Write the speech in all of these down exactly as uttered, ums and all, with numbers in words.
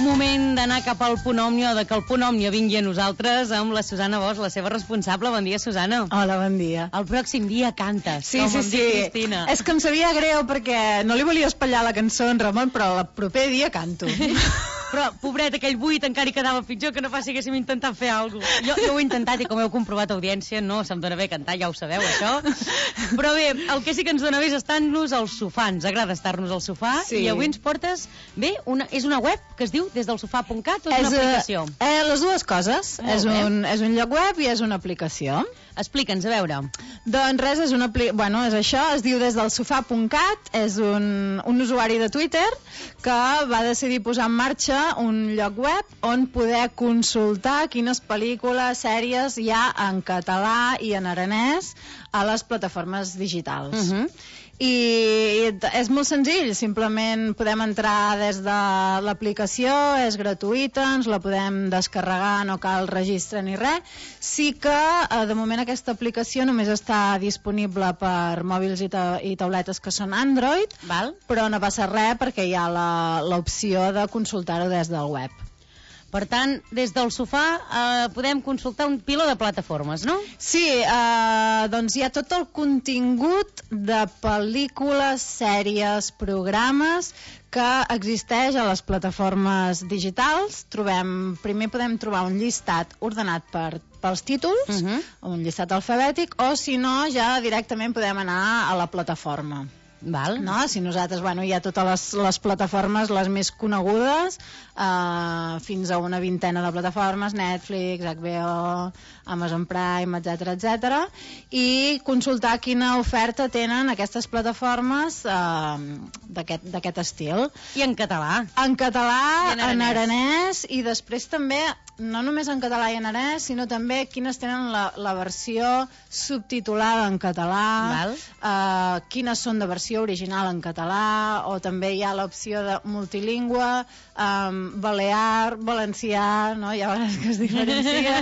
Moment d'anar cap al punt òmnia, de que el punt òmnia vingui a nosaltres amb la Susana Bosch, la seva responsable. Bon dia, Susana. Hola, bon dia. El pròxim dia cantes, sí, com sí, em sí. diu Cristina. És que em sabia greu perquè no li volia espatllar la cançó en Ramon, però el proper dia canto. Però, pobret, aquell buit encara hi quedava pitjor que no fa si haguéssim intentat fer alguna cosa. Jo, jo ho he intentat i com heu comprovat, audiència, no se'm dona bé cantar, ja ho sabeu, això. Però bé, el que sí que ens dona bé és estar-nos al sofà. Ens agrada estar-nos al sofà. Sí. I avui ens portes, bé, una, és una web que es diu des del sofà punt cat o és, és una aplicació? Eh, les dues coses. És un, és un lloc web i és una aplicació. Explica'ns, a veure. Doncs res, és una bueno, és això, es diu des del sofà punt cat, és un, un usuari de Twitter que va decidir posar en marxa un lloc web on poder consultar quines pel·lícules, sèries hi ha en català i en aranès a les plataformes digitals. Uh-huh. I és molt senzill, simplement podem entrar des de l'aplicació, és gratuïta, ens la podem descarregar, no cal registre ni res. Sí que de moment aquesta aplicació només està disponible per mòbils i, ta i tauletes que són Android, val? Però no passa res perquè hi ha l'opció de consultar-ho des del web. Per tant, des del sofà eh, podem consultar un piló de plataformes, no? Sí, eh, doncs hi ha tot el contingut de pel·lícules, sèries, programes que existeix a les plataformes digitals. Trobem, primer podem trobar un llistat ordenat per, pels títols, uh-huh. un llistat alfabètic, o si no, ja directament podem anar a la plataforma. Val. No? Si nosaltres, bueno, hi ha totes les, les plataformes, les més conegudes, eh, fins a una vintena de plataformes, Netflix, H B O, Amazon Prime, etcètera, etcètera, i consultar quina oferta tenen aquestes plataformes eh, d'aquest estil. I en català. En català, I en aranès. en aranès, i després també, no només en català i en aranès, sinó també quines tenen la, la versió subtitulada en català, eh, quines són de versió original en català, o també hi ha l'opció de multilingüe, um, balear, valencià, no? Hi ha vegades que es diferencia.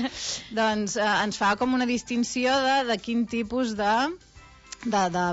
Doncs eh, ens fa com una distinció de, de quin tipus de, de, de,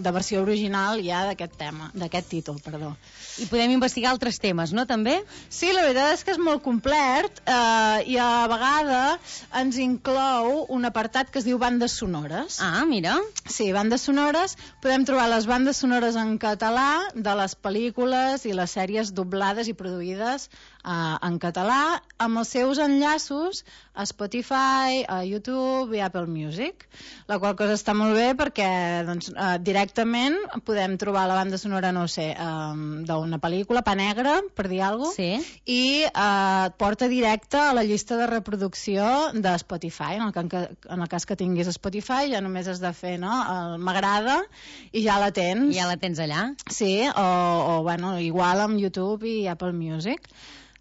de versió original hi ha d'aquest tema, d'aquest títol, perdó. I podem investigar altres temes, no, també? Sí, la veritat és que és molt complet eh, i a vegades ens inclou un apartat que es diu bandes sonores. Ah, mira. Sí, bandes sonores. Podem trobar les bandes sonores en català de les pel·lícules i les sèries doblades i produïdes eh, en català amb els seus enllaços a Spotify, a YouTube i Apple Music, la qual cosa està molt bé perquè doncs, eh, directament podem trobar la banda sonora, no sé, eh, una pel·lícula, Pa Negre, per dir alguna cosa, sí. I eh, et porta directe a la llista de reproducció de Spotify. En el, que, en el cas que tinguis Spotify ja només has de fer, no?, m'agrada i ja la tens. Ja la tens allà? Sí, o, o bueno, igual amb YouTube i Apple Music.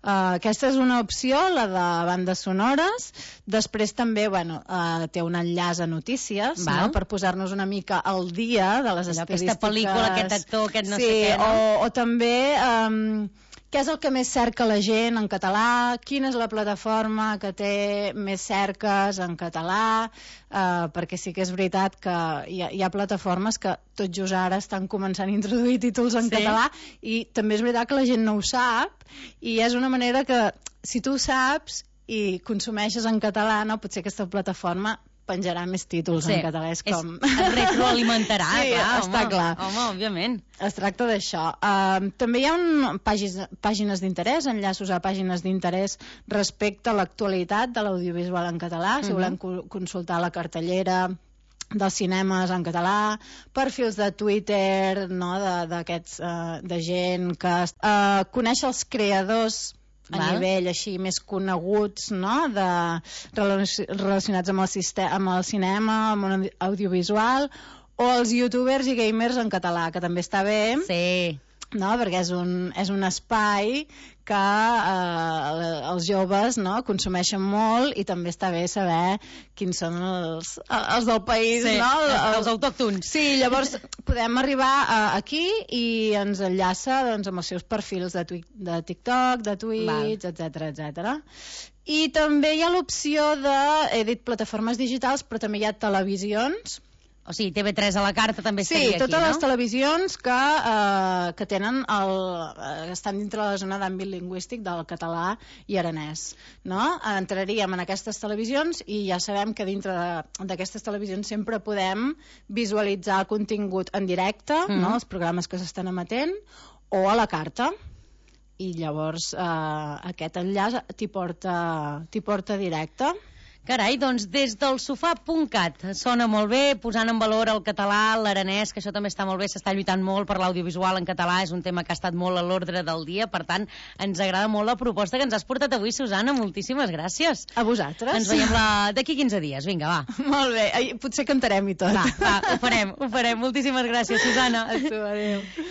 Uh, aquesta és una opció, la de bandes sonores. Després també, bueno, uh, té un enllaç a notícies, no? Per posar-nos una mica al dia de les allò, estadístiques. Aquesta pel·lícula, aquest actor, aquest no sí, sé què, no? o, o també um, què és el que més cerca la gent en català, quina és la plataforma que té més cerques en català, uh, perquè sí que és veritat que hi ha, hi ha plataformes que tot just ara estan començant a introduir títols en sí. català, i també és veritat que la gent no ho sap, i és una manera que si tu ho saps i consumeixes en català, no, potser aquesta plataforma penjarà més títols sí. en català. És com... Es, es retroalimentarà, sí, clar, està home, clar. Home, òbviament. Es tracta d'això. Uh, també hi ha un, pàgines, pàgines d'interès, enllaços a pàgines d'interès respecte a l'actualitat de l'audiovisual en català, si uh-huh. volem co consultar la cartellera dels cinemes en català, perfils de Twitter, no, d'aquests uh, de gent que uh, coneix els creadors a Val. nivell així més coneguts, no? De, relacionats amb el, amb el cinema, amb un audiovisual, o els youtubers i gamers en català, que també està bé. Sí. No? Perquè és un, és un espai que eh, els joves, no, consumeixen molt, i també està bé saber quins són els, els del país, sí, no? els, els autòctons. Sí, llavors podem arribar a, aquí i ens enllaça, doncs, amb els seus perfils de, twi de TikTok, de Twitch, etcètera, etcètera. I també hi ha l'opció de, he dit plataformes digitals, però també hi ha televisions O sigui, T V tres a la carta també Sí, estaria aquí, no? totes les televisions que, eh, que tenen el, eh, estan dintre la zona d'àmbit lingüístic del català i aranès, no? Entraríem en aquestes televisions i ja sabem que dintre de- d'aquestes televisions sempre podem visualitzar el contingut en directe, Mhm. no? Els programes que s'estan emetent, o a la carta. I llavors eh, aquest enllaç t'hi porta, t'hi porta directe. Carai, doncs des del sofà punt cat sona molt bé, posant en valor el català, l'aranès, que això també està molt bé, s'està lluitant molt per l'audiovisual en català, és un tema que ha estat molt a l'ordre del dia, per tant, ens agrada molt la proposta que ens has portat avui, Susana, moltíssimes gràcies. A vosaltres. Ens veiem la... d'aquí quinze dies, vinga, va. Molt bé, ai, potser cantarem i tot. Va, va, ho farem, ho farem. Moltíssimes gràcies, Susana. A tu, adéu.